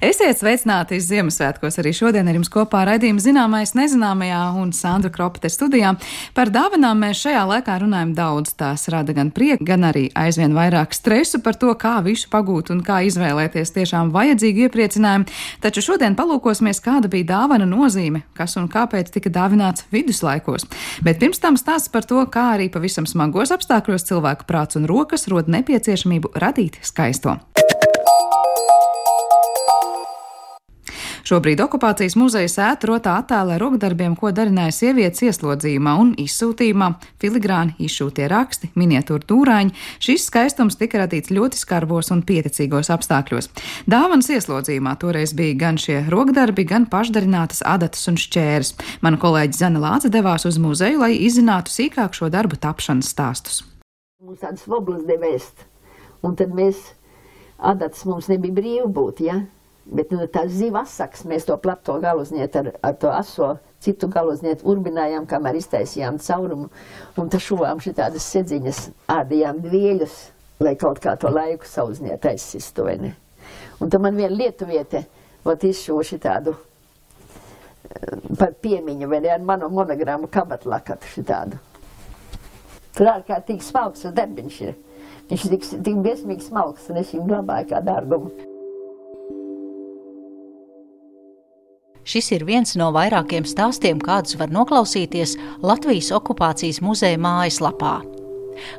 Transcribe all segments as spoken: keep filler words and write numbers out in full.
Esiet sveicināti Ziemassvētkos. Arī šodien ar jums kopā raidījuma Zināmais nezināmajā un Sandra Kropte studijā. Par dāvanām mēs šajā laikā runājam daudz. Tās rada gan prieku, gan arī aizvien vairāk stresu par to, kā visu pagūt un kā izvēlēties tiešām vajadzīgu iepriecinājumu. Taču šodien palūkosimies, kāda bija dāvana nozīme, kas un kāpēc tika dāvināts viduslaikos. Bet pirms tam stāsts par to, kā arī pavisam smagos apstākļos cilvēku prāts un rokas rod nepieciešamību radīt skaisto. Šobrīd okupācijas muzeja sēta rotā attēlē rokdarbiem, ko darināja sievietes ieslodzījumā un izsūtījumā, filigrāni, izšūtie raksti, miniatūra dūrāņi. Šis skaistums tika radīts ļoti skarbos un pieticīgos apstākļos. Dāvanas ieslodzījumā toreiz bija gan šie rokdarbi, gan pašdarinātas adatas un šķēres. Mana kolēģe Zana Lāce devās uz muzeju, lai izzinātu sīkāk šo darbu tapšanas stāstus. Mums tādas voblas devēst, un tad mēs, adatas mums nebija brīvi būt, ja? Bet nu, tā ziva asaks, mēs to plato galuzniet ar, ar to aso, citu galuzniet urbinājām, kamēr iztaisījām caurumu, un tā šuvām šitādas sedziņas, ādījām dvieļus, lai kaut kā to laiku sauzniet aizsistu, vai ne? Un tad man viena lietuviete, ot izšuva šitādu par piemiņu, vai ne, ar manu monogramu kabatlakatu šitādu. Tur ārkārtīgi smalks darbiņš ir. Viņš ir tik, tik biesmīgi smalks, un es viņu glabāju kā dārgumu. Šis ir viens no vairākiem stāstiem, kādus var noklausīties Latvijas okupācijas muzeja mājaslapā.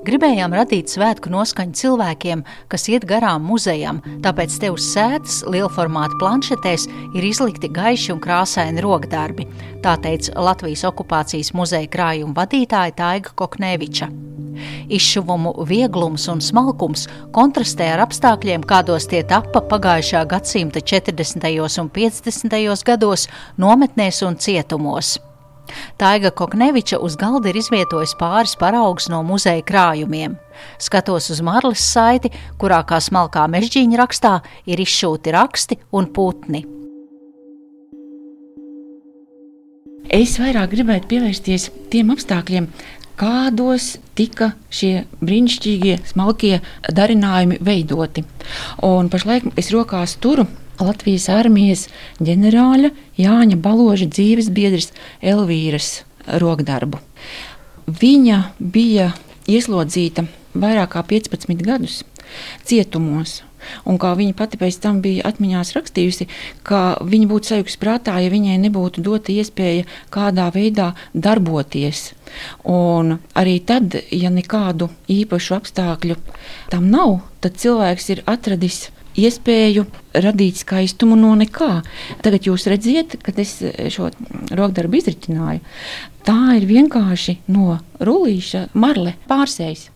Gribējām radīt svētku noskaņu cilvēkiem, kas iet garām muzejam, tāpēc te uz sētas lielformāta planšetēs ir izlikti gaiši un krāsaini rokdarbi, tā teica Latvijas okupācijas muzeja krājuma vadītāja Taiga Kokneviča. Izšuvumu vieglums un smalkums kontrastē ar apstākļiem, kādos tie tappa pagājušā gadsimta četrdesmitajos un piecdesmitajos gados nometnēs un cietumos. Taiga Kokneviča uz galda ir izvietojis pāris paraugus no muzeja krājumiem. Skatos uz marles saiti, kurā kā smalkā mežģīņa rakstā ir izšūti raksti un putni. Es vairāk gribētu pievērsties tiem apstākļiem, kādos tika šie brīnišķīgie, smalkie darinājumi veidoti. Un pašlaik es rokās turu Latvijas armijas ģenerāļa Jāņa Baloža dzīves biedres Elvīras rokdarbu. Viņa bija ieslodzīta vairāk kā piecpadsmit gadus cietumos. Un kā viņa pati pēc tam bija atmiņās rakstījusi, ka viņa būtu sajukusi prātā, ja viņai nebūtu dota iespēja kādā veidā darboties. Un arī tad, ja nekādu īpašu apstākļu tam nav, tad cilvēks ir atradis iespēju radīt skaistumu no nekā. Tagad jūs redziet, kad es šo rokdarbu izritināju, tā ir vienkārši no rullīša marle pārsējs.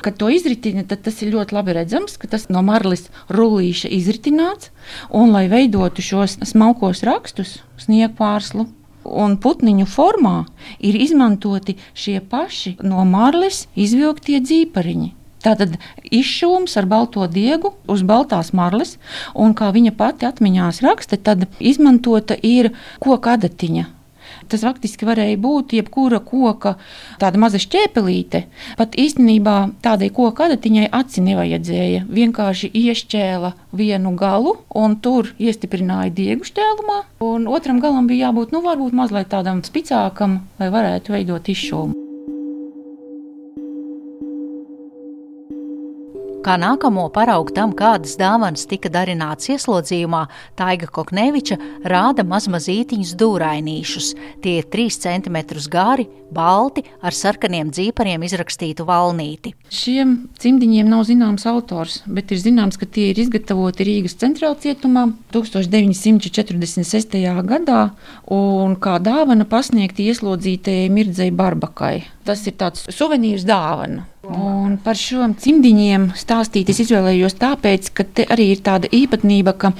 Kad to izritina, tad tas ir ļoti labi redzams, ka tas no marlis rullīša izritināts, un lai veidotu šos smalkos rakstus, sniegpārslu un putniņu formā, ir izmantoti šie paši no marlis izvilktie dzīpariņi. Tātad izšūms ar balto diegu uz baltās marles, un kā viņa pati atmiņās raksta, tad izmantota ir koka adatiņa. Tas faktiski varēja būt jebkura koka tāda maza šķēpelīte. Pat īstenībā tādai koka adatiņai aci nevajadzēja. Vienkārši iešķēla vienu galu un tur iestiprināja diegu šķēlumā. Un otram galam bija jābūt, nu varbūt mazliet tādam spicākam, lai varētu veidot izšūmu. Kā nākamo paraugu tam, kādas dāvanas tika darināts ieslodzījumā, Taiga Kokneviča rāda mazmazītiņus dūrainīšus. Tie ir trīs centimetrus gari, balti, ar sarkaniem dzīpariem izrakstītu valnīti. Šiem cimdiņiem nav zināms autors, bet ir zināms, ka tie ir izgatavoti Rīgas centrāla cietumā tūkstoš deviņi simti četrdesmit sestajā gadā un kā dāvana pasniegti ieslodzītajai Mirdzei Barbakai. Tas ir tāds suvenīrs dāvana. Un par šiem cimdiņiem stāstīt es izvēlējos tāpēc, ka te arī ir tāda īpatnība, ka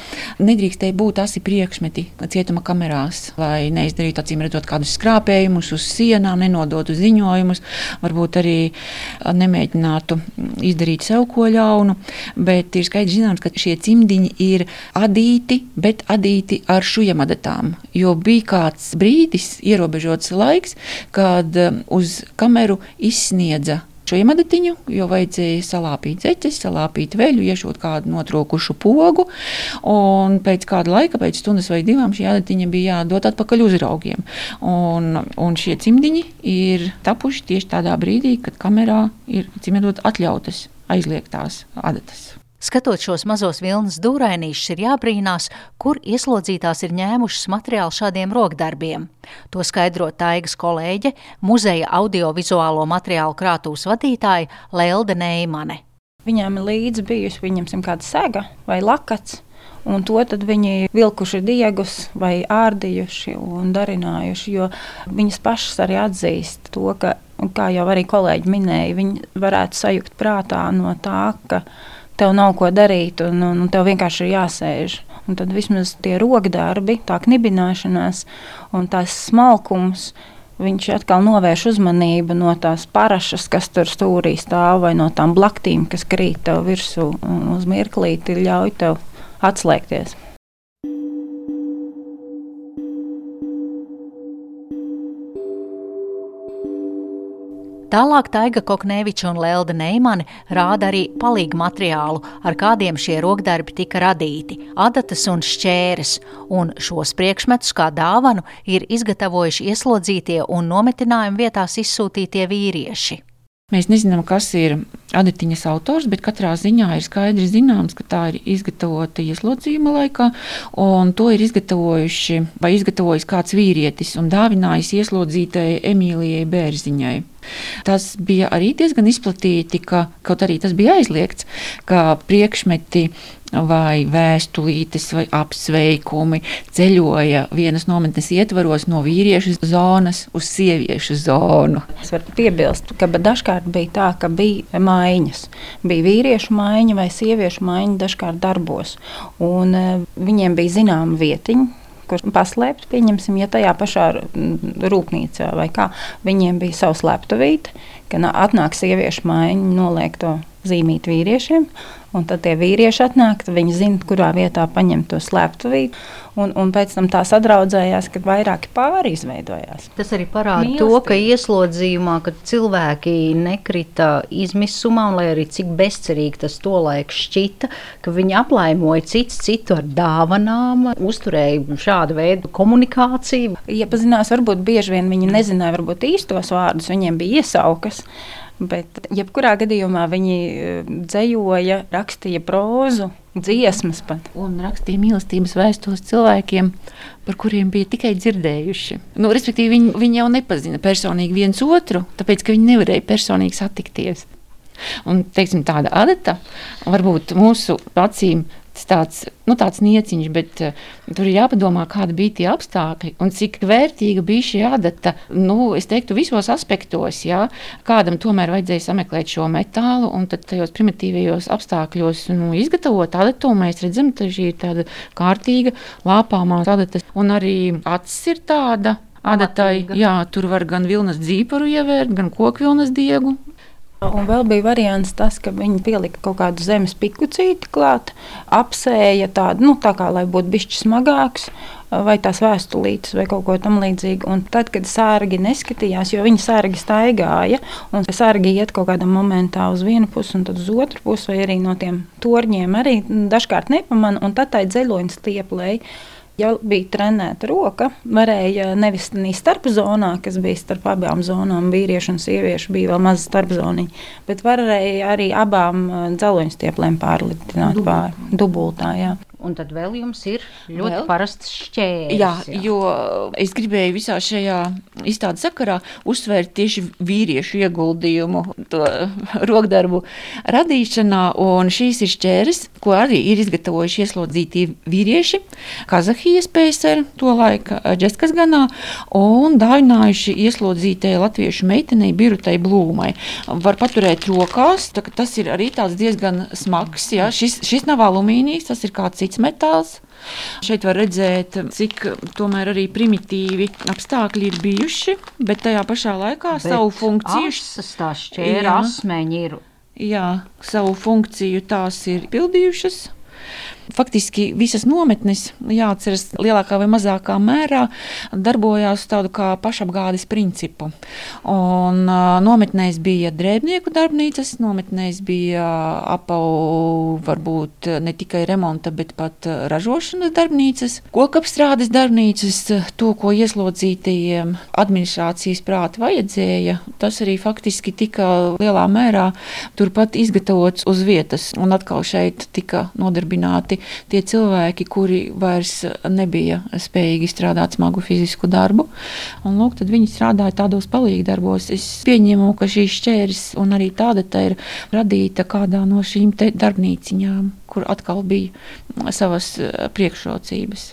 nedrīkstēja būt asi priekšmeti cietuma kamerās, lai neizdarītu acīm redzot kādus skrāpējumus uz sienām, nenodotu ziņojumus, varbūt arī nemēģinātu izdarīt sev ko ļaunu, bet ir skaidrs zināms, ka šie cimdiņi ir adīti, bet adīti ar šujamadetām, jo bija kāds brīdis, ierobežots laiks, kad uz kameru izsniedza šo iemedatiņu, jo vajadzēja salāpīt zeķes, salāpīt veļu, iešot kādu notrokušu pogu, un pēc kāda laika, pēc stundas vai divām, šī adatiņa bija jādod atpakaļ uzraugiem. Un, un šie cimdiņi ir tapuši tieši tādā brīdī, kad kamerā ir cimdot atļautas aizliegtās adatas. Skatot šos mazos vilnas dūrainīšus, ir jābrīnās, kur ieslodzītās ir ņēmušas materiālu šādiem rokdarbiem. To skaidro Taigas kolēģe, muzeja audiovizuālo materiālu krātuves vadītāja Lelde Neimane. Viņām ir līdzi bijusi, viņam kāda sega vai lakats, un to tad viņi vilkuši diegus vai ārdījuši un darinājuši, jo viņas pašas arī atzīst to, ka, kā jau arī kolēģi minēja, viņi varētu sajukt prātā no tā, ka tev nav ko darīt, un, un tev vienkārši ir jāsēž. Un tad vismaz tie rokdarbi, tā knibināšanās un tās smalkums, viņš atkal novērš uzmanību no tās parašas, kas tur stūrī stāv, vai no tām blaktīm, kas krīt tev virsū, un uz mirklīti ļauj tev atslēgties. Tālāk Taiga Kokneviča un Lelde Neimane rāda arī palīgu materiālu, ar kādiem šie rokdarbi tika radīti – adatas un šķēres, un šos priekšmetus kā dāvanu ir izgatavojuši ieslodzītie un nometinājumu vietās izsūtītie vīrieši. Mēs nezinām, kas ir adatiņas autors, bet katrā ziņā ir skaidri zināms, ka tā ir izgatavota ieslodzījuma laikā, un to ir izgatavojuši vai izgatavojis kāds vīrietis un dāvinājis ieslodzītajai Emīlijai Bērziņai. Tas bija arī diezgan izplatīti, ka, kaut arī tas bija aizliegts, ka priekšmeti vai vēstulītes vai apsveikumi ceļoja vienas nometnes ietvaros no vīriešu zonas uz sieviešu zonu. Es varu piebilst, ka dažkārt bija tā, ka bija maiņas. Bija vīriešu maiņa vai sieviešu maiņa dažkārt darbos, un viņiem bija zināma vietiņa, kur paslēpt, pieņemsim, ja tajā pašā rūpnīcā vai kā, viņiem bija savs sleptuvīte, ka atnāk sieviešu maiņa, noliek to zīmīt vīriešiem, un tad tie vīrieši atnāk, viņi zina, kurā vietā paņemt to sleptuvīti, un, un pēc tam tā sadraudzējās, kad vairāki pāri izveidojās. Tas arī parāda to, ka ieslodzījumā, kad cilvēki nekrita izmisumā, un lai arī cik bezcerīgi tas tolaik šķita, ka viņi aplaimoja cits citu ar dāvanām, uzturēja šādu veidu komunikāciju. Iepazinās, varbūt bieži vien viņi nezināja varbūt īstos vārdus, viņiem bija iesaukas, bet jebkurā gadījumā viņi dzejoja, rakstīja prózu, dziesmas pat. Un rakstīja mīlestības vēstules cilvēkiem, par kuriem bija tikai dzirdējuši. Nu, respektīvi, viņi, viņi jau nepazina personīgi viens otru, tāpēc, ka viņi nevarēja personīgi satikties. Un, teiksim, tāda adata, varbūt mūsu acīm tāds, nu, tāds nieciņš, bet uh, tur ir jāpadomā, kāda bija tie apstākļi un cik vērtīga bija šī adata, nu, es teiktu, visos aspektos, jā. Kādam tomēr vajadzēja sameklēt šo metālu un tad tajos primitīvajos apstākļos, nu, izgatavot adatu, un mēs redzam, ka šī ir tāda kārtīga, lāpāmā adata, un arī acis ir tāda adatai, jā, tur var gan vilnas dzīparu ievērt, gan kokvilnas diegu. Un vēl bija variants tas, ka viņi pielika kaut kādu zemes pikucīti klāt, apsēja tādu, nu tā kā, lai būtu bišķi smagāks, vai tās vēstulītes vai kaut ko tam līdzīgu. Un tad, kad sārgi neskatījās, jo viņi sārgi staigāja, un sārgi iet kaut kādā momentā uz vienu pusi un tad uz otru pusi, vai arī no tiem torņiem arī dažkārt nepamana, un tad tai dzeļoņas stieplēja. Ja bija trenēta roka, varēja nevis starp zonā, kas bija starp abām zonām, vīriešu un sieviešu, bija vēl maza starpzoniņa, bet varēja arī abām dzeloņstieplēm pārlitināt pār dubultā, jā. Un tad vēl jums ir ļoti vēl? parasts šķērs. Jā, jā, jo es gribēju visā šajā izstādes sakarā uzsvērt tieši vīriešu ieguldījumu to rokdarbu radīšanā, un šīs ir šķēres, ko arī ir izgatavojuši ieslodzītie vīrieši, Kazahijas P S R, to laika Džeskas ganā, un dāvinājuši ieslodzītajai latviešu meitenei Birutai Blūmai. Var paturēt rokās, tā, tas ir arī tāds diezgan smags, jā, šis, šis nav alumīnijs, tas ir kāds cits metāls. Šeit var redzēt, cik tomēr arī primitīvi apstākļi ir bijuši, bet tajā pašā laikā bet savu funkciju... Asas, tā šķēra asmeņi ir. Jā, savu funkciju tās ir pildījušas. Faktiski visas nometnes, jāatceras, lielākā vai mazākā mērā darbojās tādu kā pašapgādes principu. Un uh, nometnēs bija drēbnieku darbnīcas, nometnēs bija apau varbūt ne tikai remonta, bet pat ražošanas darbnīcas, kokapstrādes darbnīcas, to, ko ieslodzītajiem administrācijas prāti vajadzēja, tas arī faktiski tika lielā mērā turpat izgatavots uz vietas. Un atkal šeit tika nodarbināti tie cilvēki, kuri vairs nebija spējīgi strādāt smagu fizisku darbu. Un lūk, tad viņi strādāja tādos palīgdarbos. Es pieņemu, ka šī šķērs un arī tāda tā ir radīta kādā no šīm te darbnīciņām, kur atkal bija savas priekšrocības.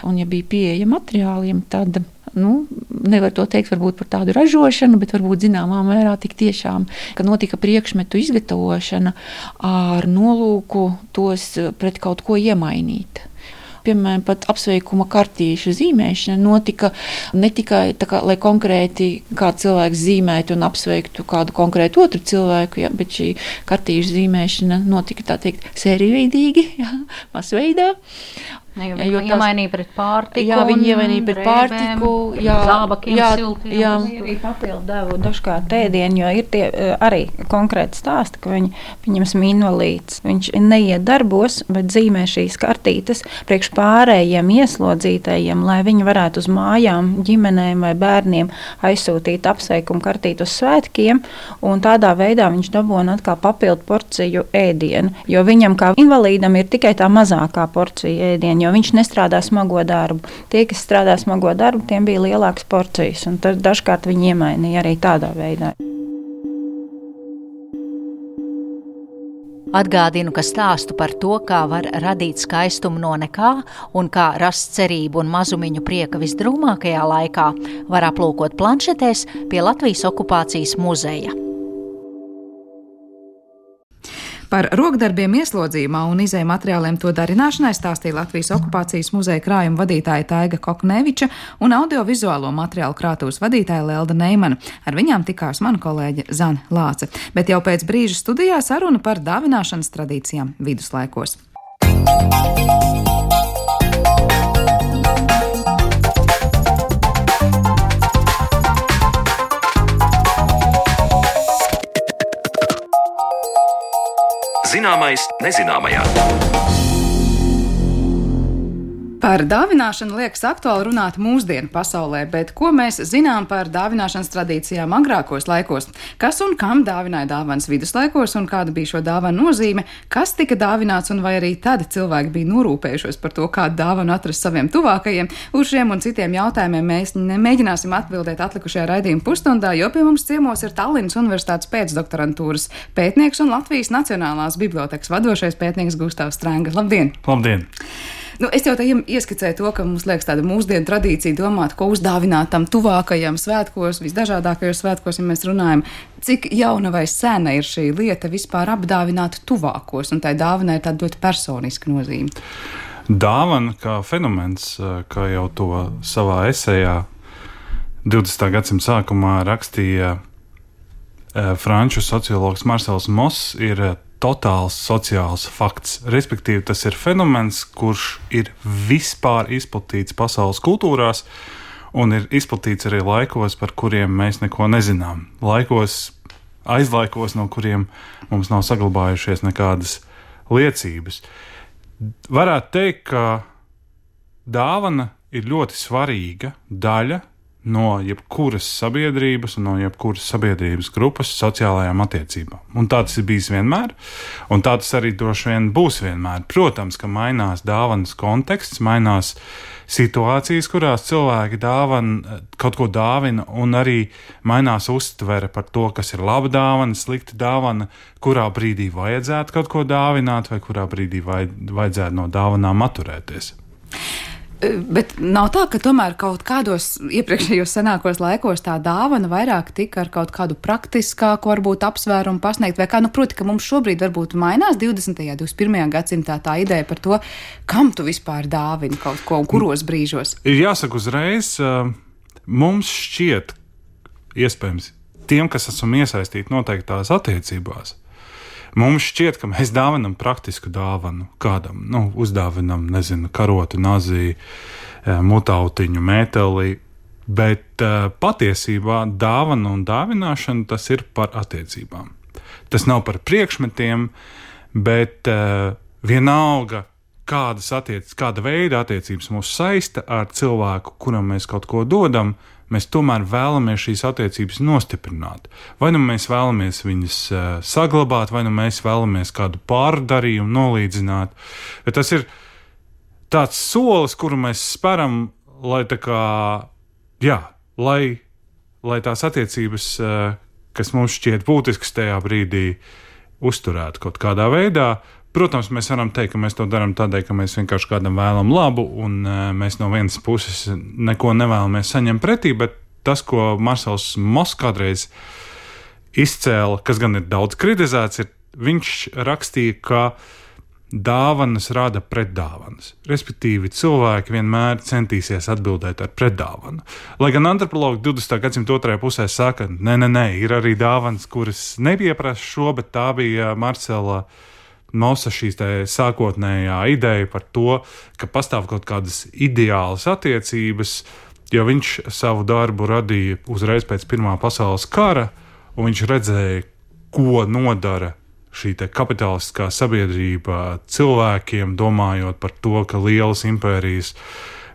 Un ja bija pieeja materiāliem, tad nu, nevar to teikt varbūt par tādu ražošanu, bet varbūt zināmā mērā tik tiešām, ka notika priekšmetu izgatavošana ar nolūku tos pret kaut ko iemainīt. Piemēram, pat apsveikuma kartīšu zīmēšana notika ne tikai tā kā, lai konkrēti kāds cilvēks zīmētu un apsveiktu kādu konkrētu otru cilvēku, ja, bet šī kartīšu zīmēšana notika tā teikt sērijveidīgi, ja, masveidā. Ne, jo viņi iemainīja pret pārtiku. Jā, viņi iemainīja pret pārtiku. Jā, zābakiem, jā, siltiem. Jā. Viņi arī papildu devu dažkārt ēdienu, jo ir tie arī konkrēti stāsti, ka viņi, pieņemsim, invalīds. Viņš neiet darbos, bet zīmē šīs kartītes priekš pārējiem ieslodzītajiem, lai viņi varētu uz mājām, ģimenēm vai bērniem aizsūtīt apsveikumu kartīti uz svētkiem, un tādā veidā viņš dabūna atkal papildu porciju ēdienu, jo viņam kā invalīdam ir tikai tā mazākā porcija ēdienu, jo viņš nestrādā smago darbu. Tie, kas strādā smago darbu, tiem bija lielākas porcijas, un tad dažkārt viņi iemainīja arī tādā veidā. Atgādinu, ka stāstu par to, kā var radīt skaistumu no nekā un kā rast cerību un mazumiņu prieka visdrūmākajā laikā, var aplūkot planšetēs pie Latvijas okupācijas muzeja. Par rokdarbiem ieslodzījumā un izēju materiāliem to darināšanai stāstīja Latvijas okupācijas muzeja krājuma vadītāja Taiga Kokneviča un audiovizuālo materiālu krātuves vadītāja Lelda Neimana. Ar viņām tikās mana kolēģe Zane Lāce. Bet jau pēc brīža studijā saruna par dāvināšanas tradīcijām viduslaikos. Zināmais nezināmajā. Par dāvināšanu liekas aktuāli runāt mūsdienu pasaulē, bet ko mēs zinām par dāvināšanas tradīcijām agrākos laikos? Kas un kam dāvināja dāvanas viduslaikos un kāda bija šo dāvanu nozīme? Kas tika dāvināts un vai arī tad cilvēki bija norūpējušies par to, kādu dāvanu atrast saviem tuvākajiem? Uz šiem un citiem jautājumiem mēs mēģināsim atbildēt atlikušajā raidījuma pusstundā, jo pie mums ciemos ir Tallinas Universitātes pēcdoktorantūras pētnieks un Latvijas Nacionālās bibliotekas vadošais pētnieks Gustavs Strēnga. Labdien! Labdien! Nu, es jau tā ieskicēju to, ka mums liekas tāda mūsdienu tradīcija domāt, ko uzdāvināt tam tuvākajam svētkos, visdažādākajos svētkos, ja mēs runājam, cik jauna vai sena ir šī lieta vispār apdāvināt tuvākos, un tai dāvanai ir tāda ļoti personiska nozīme. Dāvana kā fenomens, kā jau to savā esejā divdesmitā gadsimta sākumā rakstīja franču sociologs Marcels Moss, ir totāls sociāls fakts. Respektīvi, tas ir fenomens, kurš ir vispār izplatīts pasaules kultūrās un ir izplatīts arī laikos, par kuriem mēs neko nezinām. Laikos, aizlaikos, no kuriem mums nav saglabājušies nekādas liecības. Varētu teikt, ka dāvana ir ļoti svarīga daļa no jebkuras sabiedrības un no jebkuras sabiedrības grupas sociālajām attiecībām. Un tā tas ir bijis vienmēr, un tā tas arī droši vien būs vienmēr. Protams, ka mainās dāvanas konteksts, mainās situācijas, kurās cilvēki dāvana, kaut ko dāvina, un arī mainās uztvere par to, kas ir laba dāvana, slikta dāvana, kurā brīdī vajadzētu kaut ko dāvināt, vai kurā brīdī vajadzētu no dāvanām atturēties. Bet nav tā, ka tomēr kaut kādos iepriekšējos senākos laikos tā dāvana vairāk tika ar kaut kādu praktiskāku, varbūt apsvērumu pasniegt, vai kā, nu, proti, ka mums šobrīd varbūt mainās divdesmitajā, divdesmit pirmajā gadsimtā tā ideja par to, kam tu vispār dāvini kaut ko un kuros brīžos. Ir jāsaka uzreiz, mums šķiet, iespējams, tiem, kas esam iesaistīti noteiktās attiecībās, Mums šķiet, ka mēs dāvinam praktisku dāvanu kādam, nu, uzdāvinam, nezinu, karotu, nazī, mutautiņu, mēteli, bet uh, patiesībā dāvana un dāvināšana tas ir par attiecībām. Tas nav par priekšmetiem, bet uh, vienalga, kādas attiec, kāda veida attiecības mūs saista ar cilvēku, kuram mēs kaut ko dodam, mēs tomēr vēlamies šīs attiecības nostiprināt. Vai nu mēs vēlamies viņas uh, saglabāt, vai nu mēs vēlamies kādu pārdarījumu nolīdzināt. Bet tas ir tāds solis, kuru mēs speram, lai tā kā, jā, lai, lai tās attiecības, uh, kas mums šķiet būtiskas tajā brīdī, uzturētu kaut kādā veidā. Protams, mēs varam teikt, ka mēs to darām tādēļ, ka mēs vienkārši kādam vēlam labu, un uh, mēs no vienas puses neko nevēlamies saņemt pretī, bet tas, ko Marsels Moss kādreiz izcēla, kas gan ir daudz kritizēts, ir viņš rakstīja, ka dāvanas rada pretdāvanas. Respektīvi, cilvēki vienmēr centīsies atbildēt ar pretdāvanu. Lai gan antropologi divdesmitā gadsimta otrajā pusē saka, nē, nē, nē, ir arī dāvanas, kuras nepieprasa šo, bet tā bija Marsela Mossa šīs tā sākotnējā ideja par to, ka pastāv kaut kādas ideālas attiecības, jo viņš savu darbu radīja uzreiz pēc Pirmā pasaules kara, un viņš redzēja, ko nodara šī te kapitalistiskā sabiedrība cilvēkiem, domājot par to, ka lielas impērijas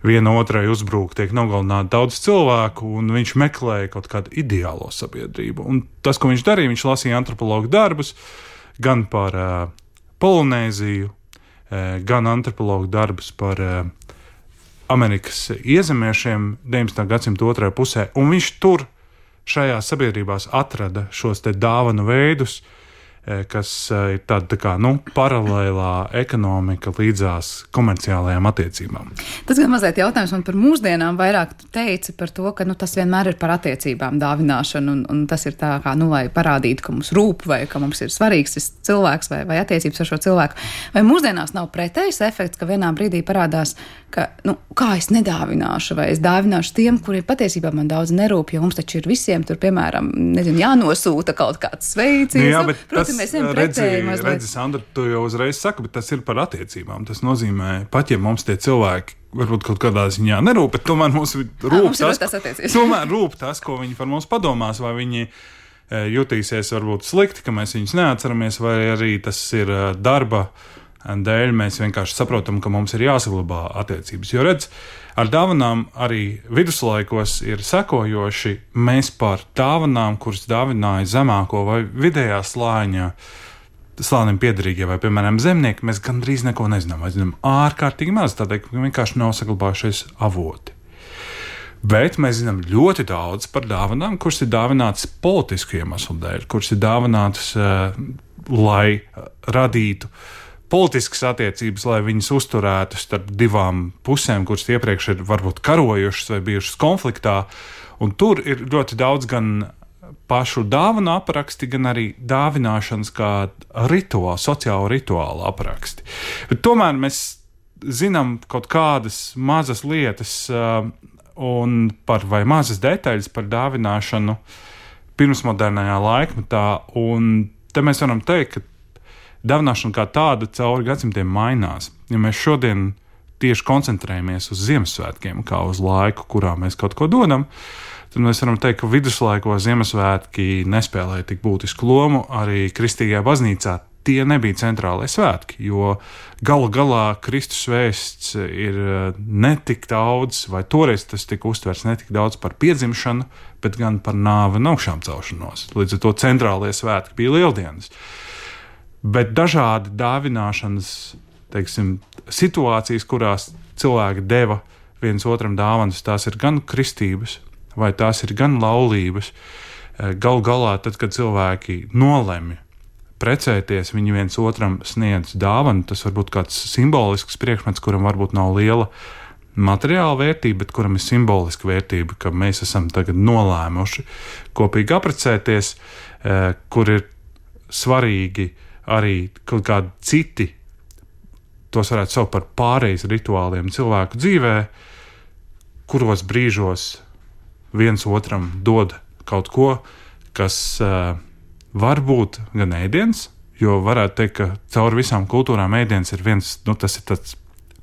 viena otrai uzbrūk, tiek nogalināti daudz cilvēku, un viņš meklēja kaut kādu ideālo sabiedrību. Un tas, ko viņš darīja, viņš lasīja antropologu darbus, gan par uh, Polinēziju, uh, gan antropologu darbus par uh, Amerikas iezemiešiem deviņdesmitā gadsimta otrajā pusē, un viņš tur šajās sabiedrībās atrada šos te dāvanu veidus, kas ir tāda tā kā, nu, paralēlā ekonomika līdzās komerciālajām attiecībām. Tas gan mazliet jautājums man par mūsdienām, vairāk tu teici par to, ka nu, tas vienmēr ir par attiecībām dāvināšanu, un, un tas ir tā kā, nu, lai parādītu, ka mums rūp, vai ka mums ir svarīgs šis cilvēks, vai, vai attiecības ar šo cilvēku. Vai mūsdienās nav pretējs efekts, ka vienā brīdī parādās, ka, nu, kā es nedāvināšu, vai es dāvināšu tiem, kuri patiesībā man daudz nerūp, jo mums taču ir visiem tur, piemēram, nezinu, jānosūta kaut kāds sveiciens. Jā, bet protams, mēs esam pretēji mazliet. Redzi, Sandra, tu jau uzreiz saki, bet tas ir par attiecībām. Tas nozīmē, pat ja mums tie cilvēki varbūt kaut kādā ziņā nerūp, bet tomēr mums rūp, à, mums tas, tas, tomēr rūp tas, ko viņi par mums padomās, vai viņi jutīsies varbūt slikti, ka mēs viņus neatceramies, vai arī tas ir darba dēļ, mēs vienkārši saprotam, ka mums ir jāsaglabā attiecības. Jo redz, ar dāvanām arī viduslaikos ir sekojoši. Mēs par dāvanām, kuras dāvināja zemāko vai vidējā slāņa, slānim piederīgie vai, piemēram, zemnieki, mēs gandrīz neko nezinām. Mēs zinām ārkārtīgi maz, tādēļ, ka vienkārši nav saglabājušies avoti. Bet mēs zinām ļoti daudz par dāvanām, kuras ir dāvinātas politisku iemeslu dēļ, kuras ir dāvinātas, uh, lai radītu politiskas attiecības, lai viņas uzturētu starp divām pusēm, kuras iepriekš ir varbūt karojušas vai bijušas konfliktā. Un tur ir ļoti daudz gan pašu dāvanu apraksti, gan arī dāvināšanas kā rituāli, sociālu rituālu apraksti. Bet tomēr mēs zinām kaut kādas mazas lietas uh, un par vai mazas detaļas par dāvināšanu pirmsmodernajā laikmetā. Un te mēs varam teikt, ka dāvināšana kā tāda cauri gadsimtiem mainās. Ja mēs šodien tieši koncentrējamies uz Ziemassvētkiem, kā uz laiku, kurā mēs kaut ko dodam, tad mēs varam teikt, ka viduslaikos Ziemassvētki nespēlēja tik būtisku lomu. Arī kristīgajā baznīcā tie nebija centrālie svētki, jo galu galā Kristus vēsts ir ne tik daudz, vai toreiz tas tika uztverts ne tik daudz par piedzimšanu, bet gan par nāvi un augšām celšanos. Līdz ar to centrālie svētki bija Lieldienas. Bet dažādi dāvināšanas, teiksim, situācijas, kurās cilvēki deva viens otram dāvanas, tās ir gan kristības, vai tās ir gan laulības. Galu galā, tad, kad cilvēki nolemj precēties, viņi viens otram sniedz dāvanu, tas var būt kāds simbolisks priekšmets, kuram varbūt nav liela materiāla vērtība, bet kuram ir simboliska vērtība, ka mēs esam tagad nolēmuši kopīgi apprecēties, kur ir svarīgi arī kaut kādi citi, tos varētu saukt par pārejas rituāliem cilvēku dzīvē, kuros brīžos viens otram dod kaut ko, kas uh, var būt gan ēdiens, jo varētu teikt, ka cauri visām kultūrām ēdiens ir viens, nu, tas ir tāds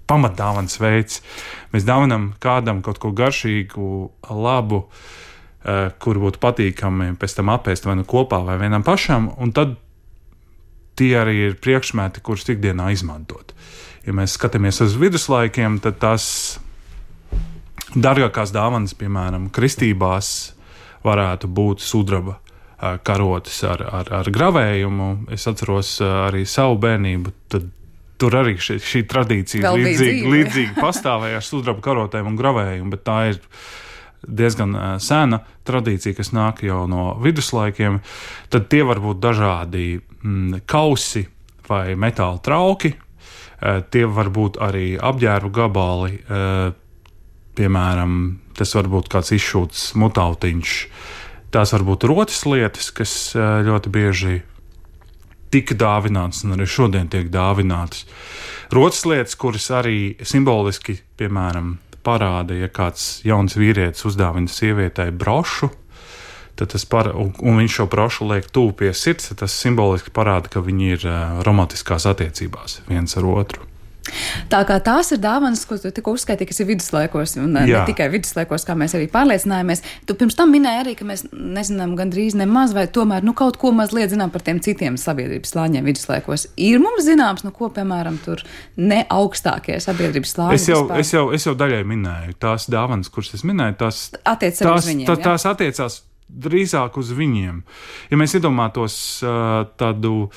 pamatdāvanas veids. Mēs dāvinam kādam kaut ko garšīgu, labu, uh, kur būtu patīkami pēc tam apēst vai nu kopā vai vienam pašam, un tad tie arī ir priekšmeti, kurus ikdienā izmantot. Ja mēs skatāmies uz viduslaikiem, tad tās dārgākās dāvanas, piemēram, kristībās, varētu būt sudraba karotes ar, ar, ar gravējumu. Es atceros arī savu bērnību, tad tur arī šī, šī tradīcija līdzīgi, līdzīgi pastāvēja ar sudraba karotēm un gravējumu, bet tā ir diezgan sena tradīcija, kas nāk jau no viduslaikiem. Tad tie var būt dažādi mm, kausi vai metāla trauki, tie var būt arī apģērbu gabali, piemēram, tas var būt kāds izšūts mutautiņš. Tās var būt rotas lietas, kas ļoti bieži tika dāvinātas un arī šodien tiek dāvinātas. Rotas lietas, kuras arī simboliski, piemēram, parāda, ja kāds jauns vīrietis uzdāvina sievietei brošu, tad tas par, un, un viņš šo brošu liek tuvu pie sirds, tas simboliski parāda, ka viņi ir romantiskās attiecībās viens ar otru. Tā kā tās ir dāvanas, ko tu tikko uzskaitīji, kas ir viduslaikos, un Jā. ne tikai viduslaikos, kā mēs arī pārliecinājāmies. Tu pirms tam minēji arī, ka mēs nezinām gandrīz nemaz, vai tomēr nu, kaut ko mazliet zinām par tiem citiem sabiedrības slāņiem viduslaikos. Ir mums zināms, nu ko, piemēram, tur ne augstākie sabiedrības slāņi. Es jau, es jau, es jau daļai minēju, tās dāvanas, kuras es minēju, tās, Attiec tās, uz viņiem, tā, tās attiecās drīzāk uz viņiem. Ja mēs iedomātos uh, tādu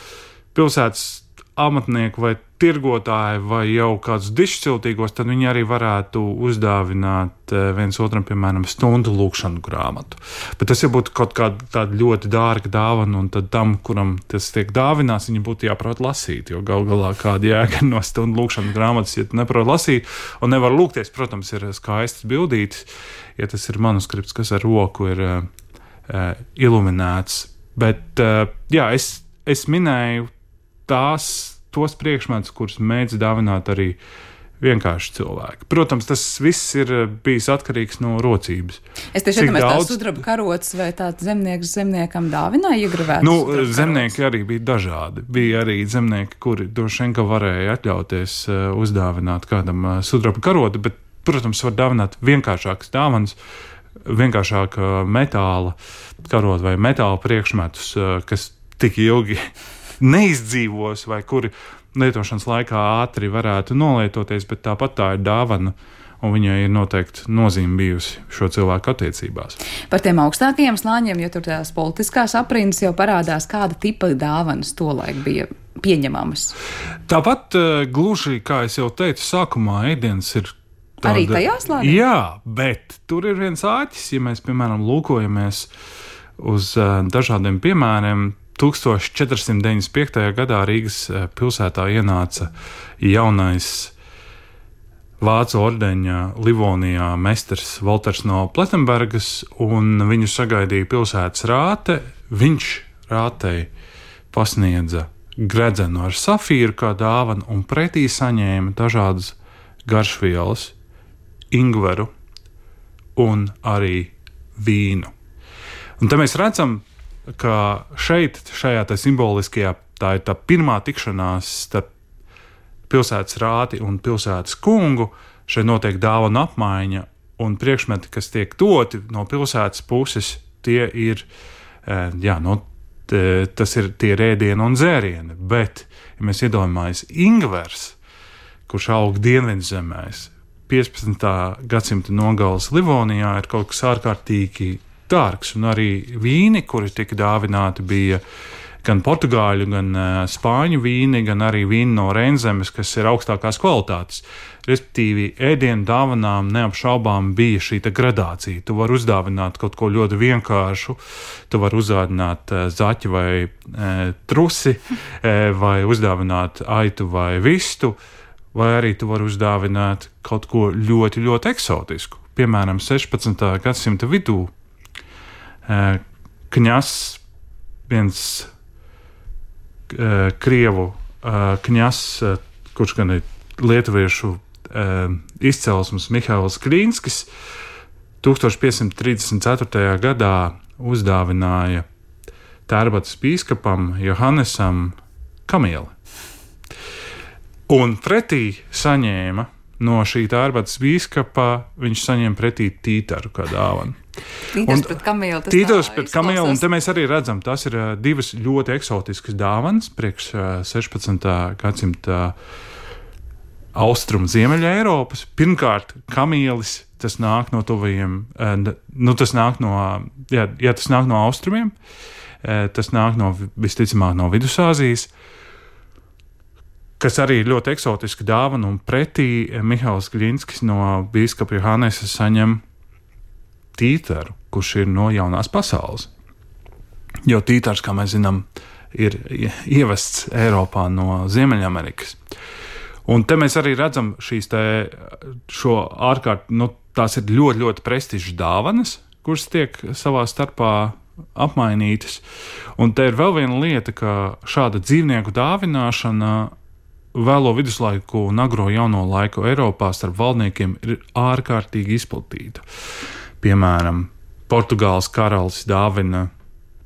pilsētas amatnieku vai tirgotāju vai jau kādus dišciltīgos, tad viņi arī varētu uzdāvināt viens otram, piemēram, stundu lūkšanu grāmatu. Bet tas jau būtu kaut kāda tāda ļoti dārga dāvana, un tad tam, kuram tas tiek dāvināts, viņi būtu jāprot lasīt, jo gal galā kāda jēga no stundu lūkšanu grāmatas, ja tu neprot lasīt un nevar lūgties, protams, ir skaistas bildītes, ja tas ir manuskripts, kas ar roku ir uh, uh, iluminēts. Bet, uh, jā, es, es minēju tās, tos priekšmetus, kurus mēdz dāvināt arī vienkārši cilvēki. Protams, tas viss ir bijis atkarīgs no rocības. Es tieši iedomājos, daudz... tās sudraba karotes vai tāds zemnieks zemniekam dāvināja iegravētas nu, sudraba karotes? Zemnieki arī bija dažādi. Bija arī zemnieki, kuri droši vien, ka varēja atļauties uh, uzdāvināt kādam uh, sudraba karoti, bet, protams, var dāvināt vienkāršākas dāvanas, vienkāršāka metāla karot vai metāla priekšmetus, uh, kas tik ilgi neizdzīvos vai kuri lietošanas laikā ātri varētu nolietoties, bet tāpat tā ir dāvana, un viņai ir noteikti nozīme bijusi šo cilvēku attiecībās. Par tiem augstākajiem slāņiem, jo tur tās politiskās aprindas jau parādās, kāda tipa dāvanas tolaik bija pieņemamas. Tāpat gluži, kā es jau teicu, sākumā ēdiens ir tāda... Arī tajā slānī? Jā, bet tur ir viens āķis, ja mēs, piemēram, lūkojamies uz uh, dažādiem piemēriem. tūkstoš četri simti deviņdesmit piektajā gadā Rīgas pilsētā ienāca jaunais vācu ordeņa Livonijā mesters Volters no Plettenbergas, un viņu sagaidīja pilsētas rāte. Viņš rātei pasniedza gredzenu ar safīru kā dāvanu, un pretī saņēma dažādas garšvielas, ingveru un arī vīnu. Un te mēs redzam, ka šeit, šajā tā simboliskajā, tā ir tā pirmā tikšanās starp pilsētas rāti un pilsētas kungu, šeit notiek dāvana apmaiņa, un priekšmeti, kas tiek doti no pilsētas puses, tie ir, jā, no, tas ir tie ēdieni un dzērieni, bet, ja mēs iedomājamies ingvers, kurš aug Dienvidzemēs, piecpadsmitā gadsimta nogales Livonijā, ir kaut kas ārkārtīgi dārgs, un arī vīni, kuri tika dāvināti, bija gan portugāļu, gan uh, spāņu vīni, gan arī vīni no Reinzemes, kas ir augstākās kvalitātes. Respektīvi, ēdienu dāvanām neapšaubām bija šī gradācija. Tu vari uzdāvināt kaut ko ļoti vienkāršu, tu vari uzdāvināt uh, zaķi vai uh, trusi, uh, vai uzdāvināt aitu vai vistu, vai arī tu vari uzdāvināt kaut ko ļoti, ļoti eksotisku. Piemēram, sešpadsmitā gadsimta vidū Kņas, viens krievu kņas, kurš gan ir lietuviešu izcelsmes Mihails Krīnskis, tūkstoš piecsimt trīsdesmit ceturtajā gadā uzdāvināja Tērbatas pīskapam Johannesam kamieli. Un pretī saņēma no šī Tārbatas bīskapa, viņš saņēma pretī tītaru kā dāvanu. Tītars pret kamieli. Tītars pret kamieli, un te mēs arī redzam, tas ir uh, divas ļoti eksotiskas dāvanas priekš uh, sešpadsmitā gadsimta austrumu ziemeļa Eiropas. Pirmkārt, kamielis, tas nāk no tuvajiem, uh, nu tas nāk no, jā, jā, tas nāk no austrumiem, uh, tas nāk no, visticamāk, no Vidusāzijas, kas arī ir ļoti eksotiska dāvana, un pretī Mihails Gļinskis no bīskapa Johannesa saņem tītaru, kurš ir no jaunās pasaules. Jo tītars, kā mēs zinām, ir ievests Eiropā no Ziemeļamerikas. Un te mēs arī redzam šīs te, šo ārkārt, nu, tās ir ļoti, ļoti prestižas dāvanas, kuras tiek savā starpā apmainītas. Un te ir vēl viena lieta, ka šāda dzīvnieku dāvināšana vēlo viduslaiku un agro jauno laiku Eiropā starp valdniekiem ir ārkārtīgi izplatīta. Piemēram, Portugāles karalis dāvina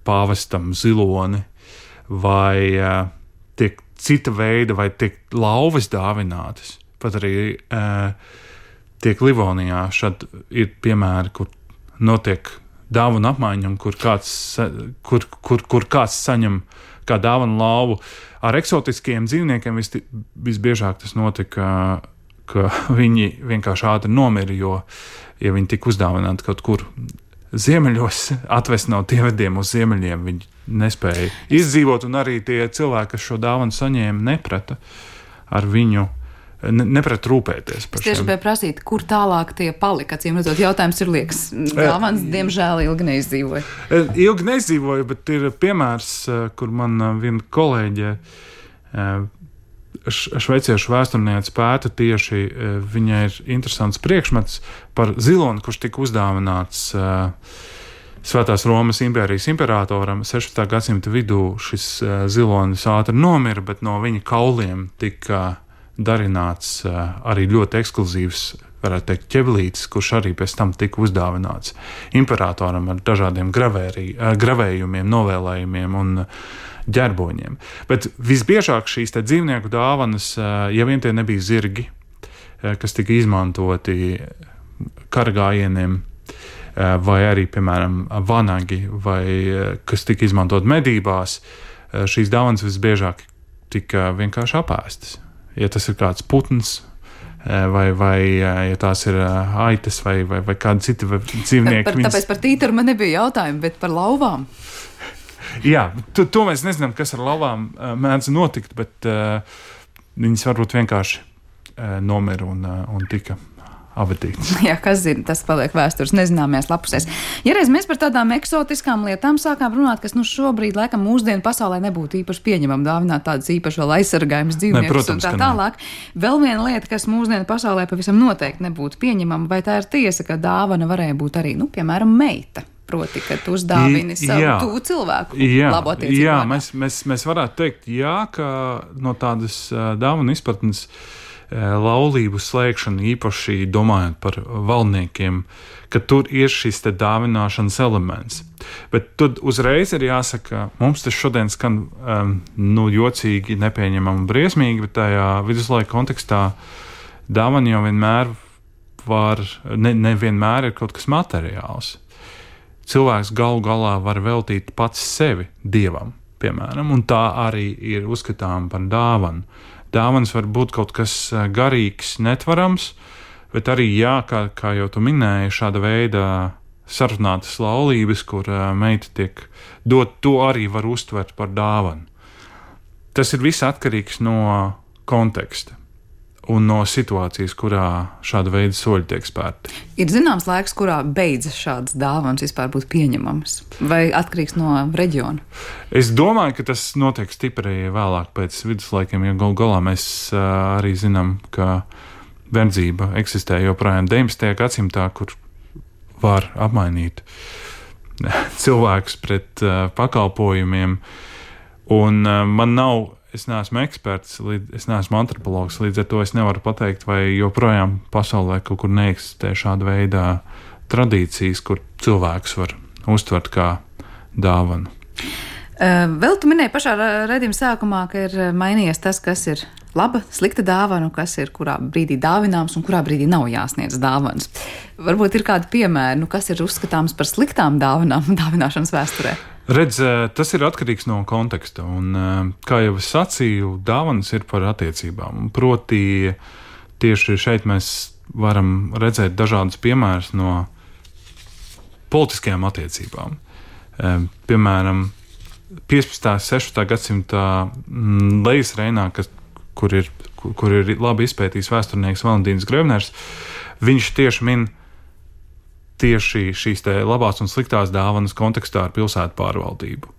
pāvestam ziloni, vai uh, tiek cita veida, vai tiek lauvas dāvinātas. Pat arī uh, tiek Livonijā šad ir piemēri, kur notiek dāvana apmaiņa, kur kāds, kur, kur, kur kāds saņem kā dāvana lauvu. Ar eksotiskiem dzīvniekiem vis, visbiežāk tas notika, ka viņi vienkārši ātri nomira, jo ja viņi tika uzdāvināti kaut kur ziemeļos, atvest no tievediem uz ziemeļiem, viņi nespēja izdzīvot, un arī tie cilvēki, kas šo dāvanu saņēma, neprata ar viņu, ne, neprata rūpēties par šiem. Tieši bija prasīt, kur tālāk tie palika, acīm redzot, jautājums ir liekas, dāvans, diemžēl, ilgi neizdzīvoja. Ilgi neizdzīvoja, bet ir piemērs, kur man viena kolēģe, šveiciešu vēsturniece pēta tieši, viņai ir interesants priekšmets par ziloni, kurš tika uzdāvināts uh, Svētās Romas impērijas imperatoram. sešpadsmitā gadsimta vidū šis uh, zilonis ātri nomira, bet no viņa kauliem tika darināts uh, arī ļoti ekskluzīvs, varētu teikt, ķeblītis, kurš arī pēc tam tika uzdāvināts imperatoram ar dažādiem gravērī, uh, gravējumiem, novēlējumiem un uh, ģerboņiem. Bet visbiežāk šīs te dzīvnieku dāvanas, ja vien tie nebija zirgi, kas tika izmantoti karagājieniem, vai arī, piemēram, vanagi, vai kas tika izmantot medībās, šīs dāvanas visbiežāk tika vienkārši apēstas. Ja tas ir kāds putns, vai, vai ja tās ir aitas, vai, vai, vai kādi citi dzīvnieki. Par, tāpēc viņas... par tītaru man nebija jautājumi, bet par lauvām. Jā, to, to mēs nezinām, kas ar lauvām uh, mēdz notikt, bet uh, viņas varbūt vienkārši uh, nomira un, uh, un tika abatītas. Jā, kas zina, tas paliek vēstures nezināmajās lapusēs. Ja reiz mēs par tādām eksotiskām lietām sākām runāt, kas nu šobrīd, laikam, mūsdienu pasaulē nebūtu īpaši pieņemam dāvināt tādas īpaši vēl aizsargājumas dzīvniekus, ne, protams, un tā tālāk. Vēl viena lieta, kas mūsdienu pasaulē pavisam noteikti nebūtu pieņemama, vai tā ir tiesa, ka dāvana varēja būt arī, nu, piemēram, meita. Proti, ka tu uzdāvini savu tuvu cilvēku jā, labu attiecību. Jā, mēs, mēs, mēs varētu teikt, jā, ka no tādas uh, dāvana izpratnes uh, laulību slēgšana, īpaši domājot par valdniekiem, ka tur ir šis te dāvināšanas elements. Bet tad uzreiz ir jāsaka, mums tas šodien skan um, nu, jocīgi, nepieņemami un briesmīgi, bet tajā viduslaika kontekstā dāvana jau vienmēr var, ne, nevienmēr ir kaut kas materiāls. Cilvēks galu galā var veltīt pats sevi Dievam, piemēram, un tā arī ir uzskatām par dāvanu. Dāvanas var būt kaut kas garīgs, netvarams, bet arī, jā, kā, kā jau tu minēji, šāda veida sarunātas laulības, kur meita tiek dot, to arī var uztvert par dāvanu. Tas ir viss atkarīgs no konteksta un no situācijas, kurā šāda veida soļi tiek spērti. Ir zināms laiks, kurā beidzas šādas dāvanas vispār būt pieņemamas? Vai atkarīgs no reģiona? Es domāju, ka tas notiek stipri vēlāk pēc viduslaikiem, jo galu galā mēs uh, arī zinām, ka verdzība eksistē joprojām deviņdesmitajā gadsimtā, kur var apmainīt cilvēkus pret uh, pakalpojumiem. Un uh, man nav Es neesmu eksperts, es neesmu antropologs, līdz ar to es nevaru pateikt, vai joprojām pasaulē kaut kur neeksistē šāda veida tradīcijas, kur cilvēks var uztvert kā dāvanu. Vēl tu minēji pašā redzījuma sākumā, ka ir mainījies tas, kas ir laba, slikta dāvana, kas ir kurā brīdī dāvināms un kurā brīdī nav jāsniedz dāvanas. Varbūt ir kādi piemēri, nu, kas ir uzskatāms par sliktām dāvanām dāvināšanas vēsturē? Redz, tas ir atkarīgs no konteksta, un, kā jau es sacīju, dāvanas ir par attiecībām. Proti, tieši šeit mēs varam redzēt dažādus piemērus no politiskajām attiecībām. Piemēram, piecpadsmitā, sešpadsmitā gadsimtā Lejas Reinā, kas, kur, ir, kur, kur ir labi izpētījis vēsturnieks Valentīns Grevners, viņš tieši min tieši šīs te labās un sliktās dāvanas kontekstā ar pilsētu pārvaldību,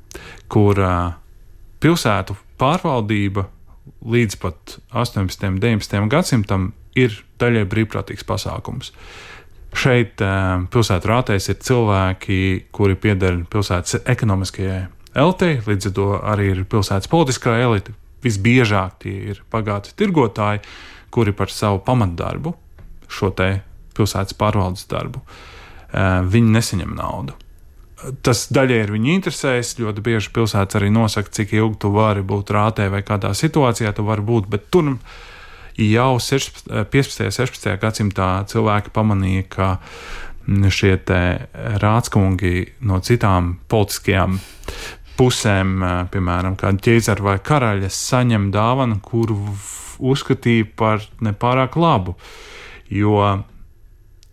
kur uh, pilsētu pārvaldība līdz pat astoņpadsmitajam, deviņpadsmitajam gadsimtam ir daļai brīvprātīgs pasākums. Šeit uh, pilsētu rātēs ir cilvēki, kuri pieder pilsētas ekonomiskajai elitei, līdz ar to arī ir pilsētas politiskā elite. Visbiežāk tie ir bagāti tirgotāji, kuri par savu pamatdarbu, šo te pilsētas pārvaldes darbu, viņi nesaņem naudu. Tas daļai ir viņa interesēs, ļoti bieži pilsētas arī nosaka, cik ilgi tu vari būt rātē vai kādā situācijā tu vari būt, bet tur jau piecpadsmitajā, sešpadsmitajā gadsimtā cilvēki pamanīja, ka šie te rātskungi no citām politiskajām pusēm, piemēram, kāda ķēzara vai karaļa saņem dāvanu, kuru uzskatīja par nepārāk labu, jo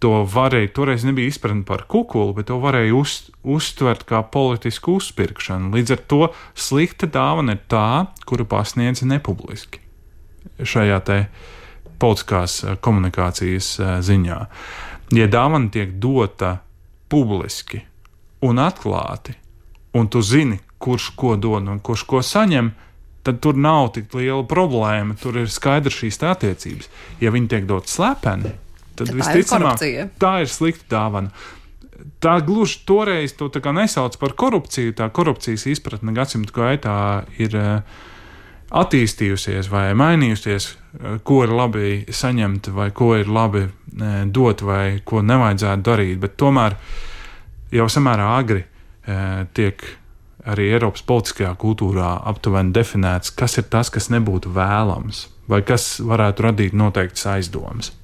to varēja, toreiz nebija izpratne par kukuli, bet to varēja uz, uztvert kā politisku uzpirkšanu. Līdz ar to slikta dāvana ir tā, kuru pasniedz nepubliski šajā te politiskās komunikācijas ziņā. Ja dāvana tiek dota publiski un atklāti, un tu zini, kurš ko dod un kurš ko saņem, tad tur nav tik liela problēma, tur ir skaidrs šīs tā attiecības. Ja viņi tiek dot slepeni, tad, tad visticamāk, tā, tā ir slikta dāvana. Tā gluži toreiz to tā kā nesauc par korupciju, tā korupcijas izpratne gadsimtu gaitā ir attīstījusies vai mainījusies, ko ir labi saņemt vai ko ir labi dot vai ko nevajadzētu darīt, bet tomēr jau samērā agri tiek arī Eiropas politiskajā kultūrā aptuveni definēts, kas ir tas, kas nebūtu vēlams, vai kas varētu radīt noteiktas aizdomas.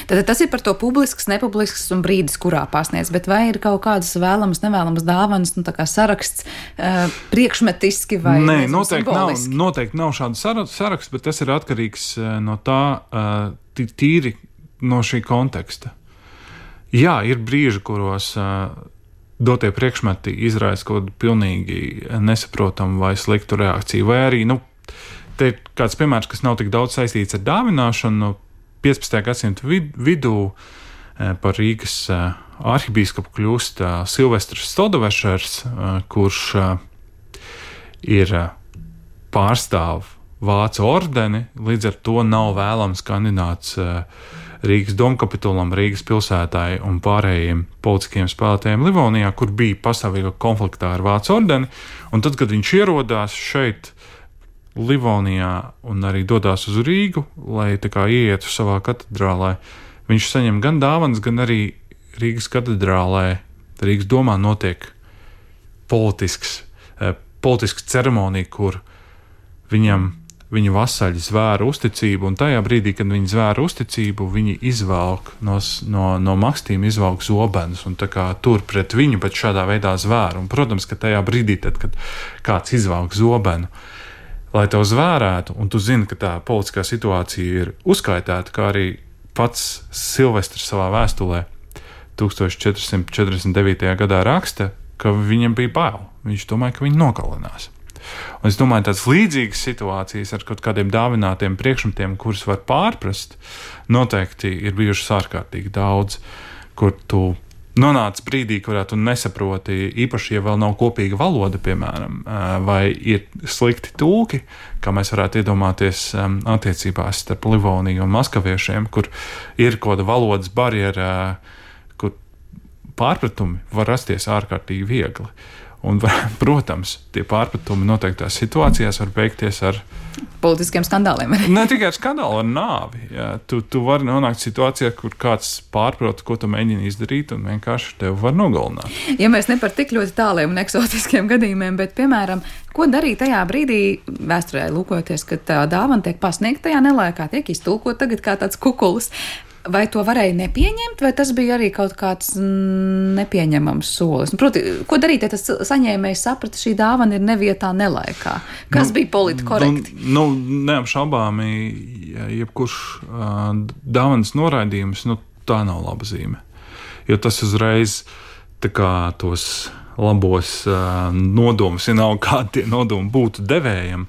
Tad tas ir par to publisks, nepublisks un brīdis, kurā pasniedz, bet vai ir kaut kādas vēlamas, nevēlamas dāvanas, nu tā kā saraksts uh, priekšmetiski vai Nē, nezinu, noteikti nav, simboliski? noteikti nav šāda saraksts, bet tas ir atkarīgs no tā, uh, tīri no šī konteksta. Jā, ir brīži, kuros uh, dotie priekšmeti izraisa kaut kādu pilnīgi nesaprotamu vai sliktu reakciju, vai arī, nu, te ir kāds piemērs, kas nav tik daudz saistīts ar dāvināšanu. piecpadsmitajā gadsimta vid, vidū eh, par Rīgas eh, arhibīskapu kļūst eh, Silvestrs Stodovešers, eh, kurš eh, ir eh, pārstāv Vācu ordeni, līdz ar to nav vēlams kandidāts eh, Rīgas domkapitulam, Rīgas pilsētāji un pārējiem politiskiem spēlētājiem Livonijā, kur bija pastāvīga konfliktā ar Vācu ordeni, un tad, kad viņš ierodās šeit Livonijā un arī dodās uz Rīgu, lai tā kā ieietu savā katedrālē, viņš saņem gan dāvanas, gan arī Rīgas katedrālē, Rīgas domā notiek politisks, eh, politisks ceremonija, kur viņam, viņa vasaļi zvēra uzticību, un tajā brīdī, kad viņi zvēra uzticību, viņi izvelk no, no, no makstīm izvelk zobenus, un tā kā tur pret viņu, bet šādā veidā zvēra. Un, protams, ka tajā brīdī, tad, kad kāds izvelk zobenu, lai tev zvērētu, un tu zini, ka tā politiskā situācija ir uzskaitēta, kā arī pats Silvestrs savā vēstulē tūkstoš četri simti četrdesmit devītajā gadā raksta, ka viņam bija bail. Viņš domāja, ka viņi nogalinās. Un es domāju, tādas līdzīgas situācijas ar kaut kādiem dāvinātiem priekšmetiem, kurus var pārprast, noteikti ir bijušas ārkārtīgi daudz, kur tu nonāc brīdī, kurā tu nesaproti, īpaši, ja vēl nav kopīga valoda, piemēram, vai ir slikti tulki, kā mēs varētu iedomāties attiecībās starp Livoniju un maskaviešiem, kur ir kaut kāda valodas barjera, kur pārpratumi var rasties ārkārtīgi viegli. Un, protams, tie pārpratumi noteiktās situācijās var beigties ar politiskiem skandāliem. Ne tikai ar skandālu, ar nāvi. Jā. Tu, tu vari nonākt situācijā, kur kāds pārprot, ko tu mēģini izdarīt, un vienkārši tevi var nogalināt. Ja mēs ne par tik ļoti tāliem un eksotiskiem gadījumiem, bet, piemēram, ko darīt tajā brīdī, vēsturē lūkojoties, kad tā dāvana tiek pasniegta tajā nelaikā, tiek iztulkot tagad kā tāds kukulis. Vai to varēja nepieņemt, vai tas bija arī kaut kāds nepieņemams solis? Proti, ko darīt, ja tas saņēmējs saprata, šī dāvana ir nevietā, nelaikā? Kas nu, bija politkorekti? Nu, nu, neapšaubāmi, jebkurš uh, dāvanas noraidījums, nu, tā nav laba zīme. Jo tas uzreiz tā kā tos labos uh, nodomus, ja nav kādi tie nodumi būtu devējiem,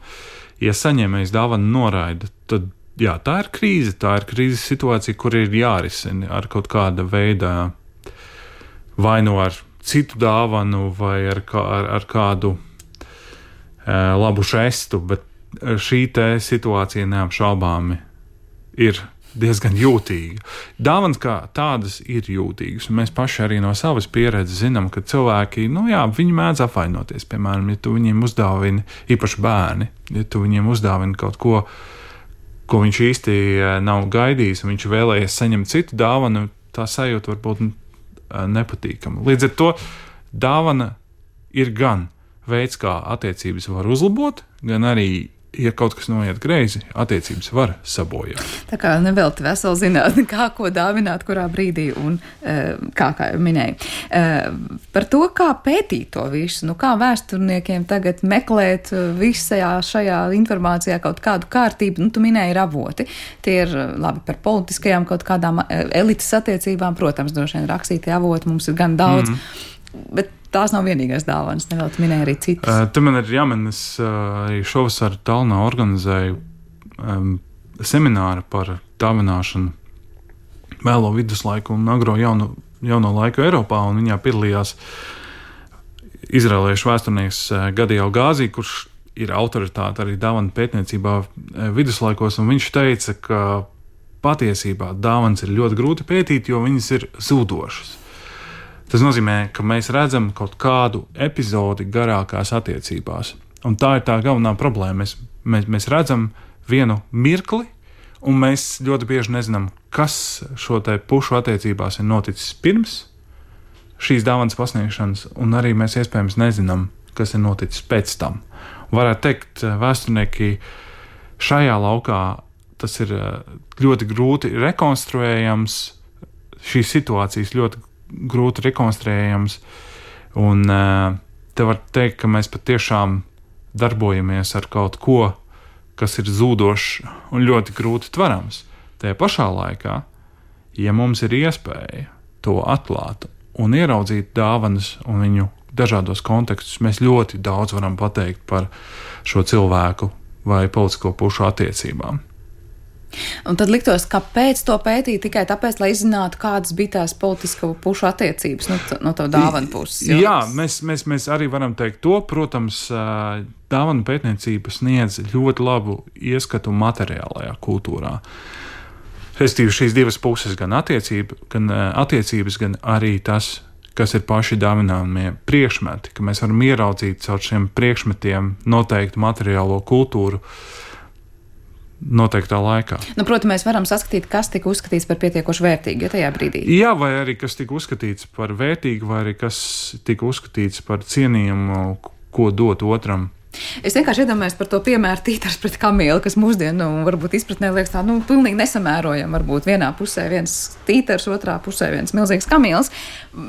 ja saņēmējs dāvanu noraida, tad jā, tā ir krīze, tā ir krīzes situācija, kur ir jārisina ar kaut kāda veida, vai nu ar citu dāvanu, vai ar, kā, ar, ar kādu e, labu žestu, bet šī te situācija neapšaubāmi ir diezgan jūtīga. Dāvanas kā tādas ir jūtīgas, un mēs paši arī no savas pieredzes zinām, ka cilvēki, nu jā, viņi mēdz apvainoties, piemēram, ja tu viņiem uzdāvini, īpaši bērni, ja tu viņiem uzdāvini kaut ko, ko viņš īsti nav gaidījis, un viņš vēlējies saņemt citu dāvanu, tā sajūta var būt nepatīkama. Līdz ar to dāvana ir gan veids, kā attiecības var uzlabot, gan arī, ja kaut kas noiet greizi, attiecības var sabojāt. Tā kā nevelti vesela zinātne, kā ko dāvināt, kurā brīdī un kā, kā jau minēju. Par to, kā pētīt to visu, nu kā vēsturniekiem tagad meklēt visajā šajā informācijā kaut kādu kārtību, nu tu minēji ir avoti. Tie ir labi par politiskajām kaut kādām elites attiecībām, protams, droši vien rakstītie avoti mums ir gan daudz, mm. bet tās nav vienīgais dāvanas, nevēl tu minēji arī citas. Uh, te man ir jāmin, es uh, arī šovasar Tallinā organizēju um, semināru par dāvināšanu vēlo viduslaiku un agro jauno, jauno laiku Eiropā, un viņā piedalījās izrēliešu vēsturnieks uh, Gadījau Gāzī, kurš ir autoritāte arī dāvanu pētniecībā uh, viduslaikos, un viņš teica, ka patiesībā dāvanas ir ļoti grūti pētīt, jo viņas ir zūdošas. Tas nozīmē, ka mēs redzam kaut kādu epizodi garākās attiecībās. Un tā ir tā galvenā problēma. Mēs, mēs, mēs redzam vienu mirkli, un mēs ļoti bieži nezinām, kas šo te pušu attiecībās ir noticis pirms šīs dāvanas pasniegšanas, un arī mēs iespējams nezinām, kas ir noticis pēc tam. Varētu teikt, vēsturnieki šajā laukā tas ir ļoti grūti rekonstruējams, šīs situācijas ļoti grūti rekonstruējams, un te var teikt, ka mēs patiešām darbojamies ar kaut ko, kas ir zūdošs un ļoti grūti tverams. Tajā pašā laikā, ja mums ir iespēja to atklāt un ieraudzīt dāvanas un viņu dažādos kontekstus, mēs ļoti daudz varam pateikt par šo cilvēku vai politisko pušu attiecībām. Un tad liktos, kāpēc to pētīt tikai tāpēc, lai izzinātu, kādas bija tās politisko pušu attiecības no, no to dāvanu puses. Jo? Jā, mēs, mēs, mēs arī varam teikt to. Protams, dāvanu pētniecība sniedz ļoti labu ieskatu materiālajā kultūrā. Respektīvi šīs divas puses, gan, attiecība, gan attiecības, gan arī tas, kas ir paši dāvināmie priekšmeti, ka mēs varam ieraudzīt caur šiem priekšmetiem noteiktu materiālo kultūru noteiktā laikā. Nu, protams, mēs varam saskatīt, kas tika uzskatīts par pietiekoši vērtīgu, ja tajā brīdī. Jā, vai arī kas tika uzskatīts par vērtīgu, vai arī kas tika uzskatīts par cienījumu, ko dot otram. Es vienkārši iedomājos par to piemēru tītars pret kamīli, kas mūsdienu nu, varbūt izpratnē liekas tā, nu, pilnīgi nesamērojam. Varbūt vienā pusē viens tītars, otrā pusē viens milzīgs kamīls,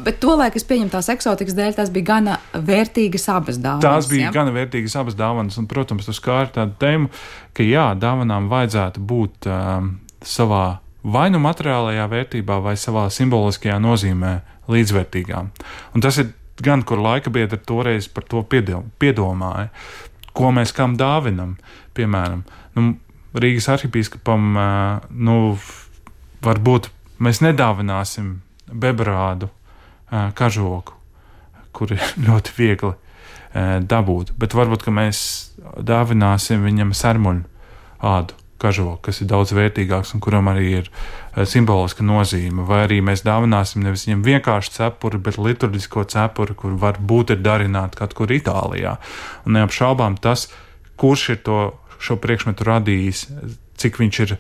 bet tolaik es pieņemu tās eksotikas dēļ, tās bija gana vērtīgas abas dāvanas. Tās bija ja? gana vērtīgas abas dāvanas, un, protams, tas kā ir tāda tēma, ka jā, dāvanām vajadzētu būt um, savā vai nu materiālajā vērtībā, vai savā simboliskajā nozīmē līdzvērtīgām. Un tas ir gan, kur laika biedri toreiz par to piedomāja, ko mēs kam dāvinam. Piemēram, nu, Rīgas arhipīskapam, nu, varbūt mēs nedāvināsim bebrādu kažoku, kur ir ļoti viegli dabūt, bet varbūt, ka mēs dāvināsim viņam sarmuļu ādu, kažoku, kas ir daudz vērtīgāks un kuram arī ir simboliska nozīme. Vai arī mēs dāvināsim nevis viņam vienkārši cepuri, bet liturģisko cepuri, kur varbūt ir darināti kaut kur Itālijā. Un neapšaubām tas, kurš ir to, šo priekšmetu radījis, cik viņš ir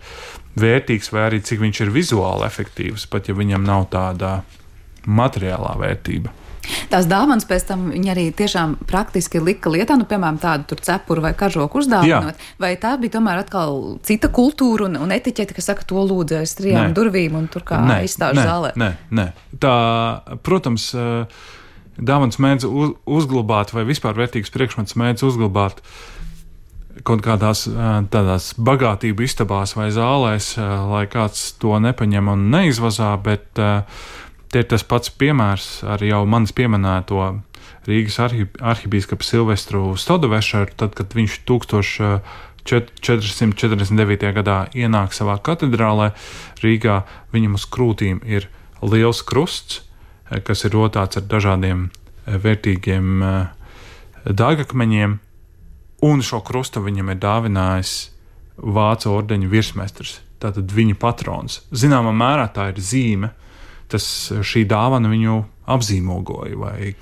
vērtīgs vai arī cik viņš ir vizuāli efektīvs, pat ja viņam nav tāda materiālā vērtība. Tās dāvanas pēc tam viņi arī tiešām praktiski lika lietā, nu, piemēram, tādu tur cepuru vai kažoku uzdāvinot, Jā. Vai tā bija tomēr atkal cita kultūra un, un etiķete, kas saka, to lūdzu aiz trijām durvīm un tur kā izstāžu zālē? Nē, nē. Tā, protams, dāvanas mēdz uz, uzglabāt vai vispār vērtīgs priekšmets mēdz uzglabāt kaut kādās tādās bagātību istabās vai zālēs, lai kāds to nepaņem un neizvazā, bet te ir tas pats piemērs ar jau manis pieminēto Rīgas arhi, arhibīskapu Silvestru Stodovešaru, tad, kad viņš četri simti četrdesmit devītajā gadā ienāk savā katedrālē Rīgā, viņam uz krūtīm ir liels krusts, kas ir rotāts ar dažādiem vērtīgiem dārgakmeņiem, un šo krustu viņam ir dāvinājis Vācu ordeņa virsmestrs, tātad viņa patrons. Zināmā mērā tā ir zīme, tas šī dāvana viņu apzīmogoja, vai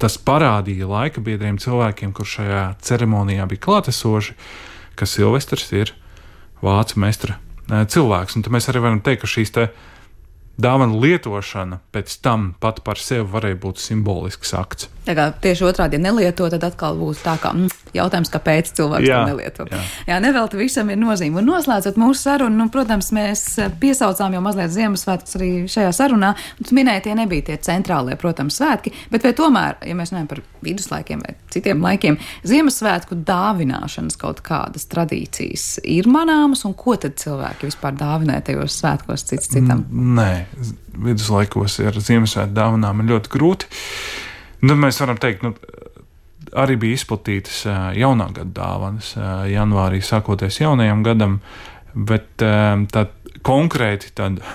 tas parādīja laika biedriem cilvēkiem, kur šajā ceremonijā bija klātesoši, ka Silvestrs ir vācu mestra cilvēks. Un tad mēs arī varam teikt, ka šīs te dāvana lietošana pēc tam pat par sevi varēja būt simbolisks akts. Tā kā tieši otrādi, ja nelieto, tad atkal būs tā kā mm, jautājums, kāpēc cilvēks jā, to nelieto. Jā, jā nevelti visam ir nozīme. Un noslēdzot mūsu sarunu, nu, protams, mēs piesaucām jau mazliet Ziemassvētkus arī šajā sarunā. Un tu minēji, tie nebija tie centrālie, protams, svētki, bet vai tomēr, ja mēs runājam par viduslaikiem vai citiem laikiem, Ziemassvētku dāvināšanas kaut kādas tradīcijas ir manāmas, un ko tad cilvēki vispār dāvinē tajos svētkos cits citam? Nē, viduslaikos ar Ziemassvētku dāvinām ir ļoti grūti. Nu, mēs varam teikt, nu, arī bija izplatītas jaunā gada dāvanas janvārī, sākoties jaunajam gadam, bet tā konkrēti tāda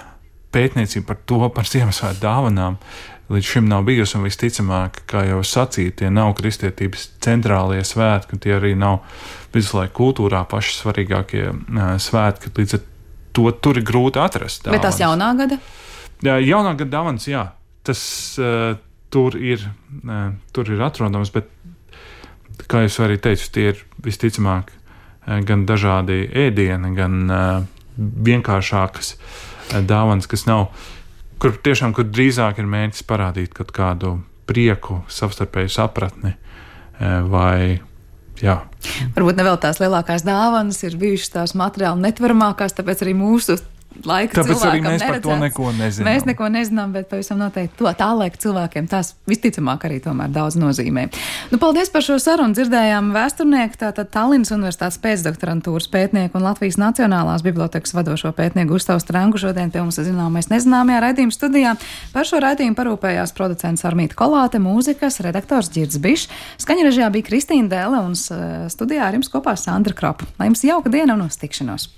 pētniecība par to, par Ziemassvētku dāvanām līdz šim nav bijusi, un visticamāk, kā jau sacīja, tie nav kristietības centrālie svētki, tie arī nav viduslaiku kultūrā paši svarīgākie svētki, līdz ar to tur ir grūti atrast dāvanas. Bet tās jaunā gada? Jā, jaunā gada dāvanas, jā, tas Tur ir, tur ir atrodams, bet, kā jau arī teicu, tie ir visticamāk gan dažādi ēdieni, gan vienkāršākas dāvanas, kas nav, kur tiešām, kur drīzāk ir mērķis parādīt kaut kādu prieku, savstarpēju sapratni vai, jā. Varbūt ne vēl tās lielākās dāvanas ir bijušas tās materiāli netveramākās, tāpēc arī mūsu laika Tāpēc cilvēkam arī mēs neredzēts. Par to neko nezinām. Mēs neko nezinām, bet pavisam noteikti to tā laika cilvēkiem tās visticamāk arī tomēr daudz nozīmē. Nu, paldies par šo sarunu. Dzirdējām vēsturnieku, tātad Tallinas Universitātes pēcdoktorantūras pētnieku un Latvijas Nacionālās bibliotekas vadošo pētnieku Gustavu Strangu šodien pie mums zināmais nezināmajā raidījuma studijā. Par šo raidījumu parūpējās producents Armīta Kolāte, mūzikas redaktors Ģirds Bišs, skaņrežijā bija Kristīna Dēle un studijā ar jums kopā Sandra Kropa. Lai jums jauka diena un uz tikšanos!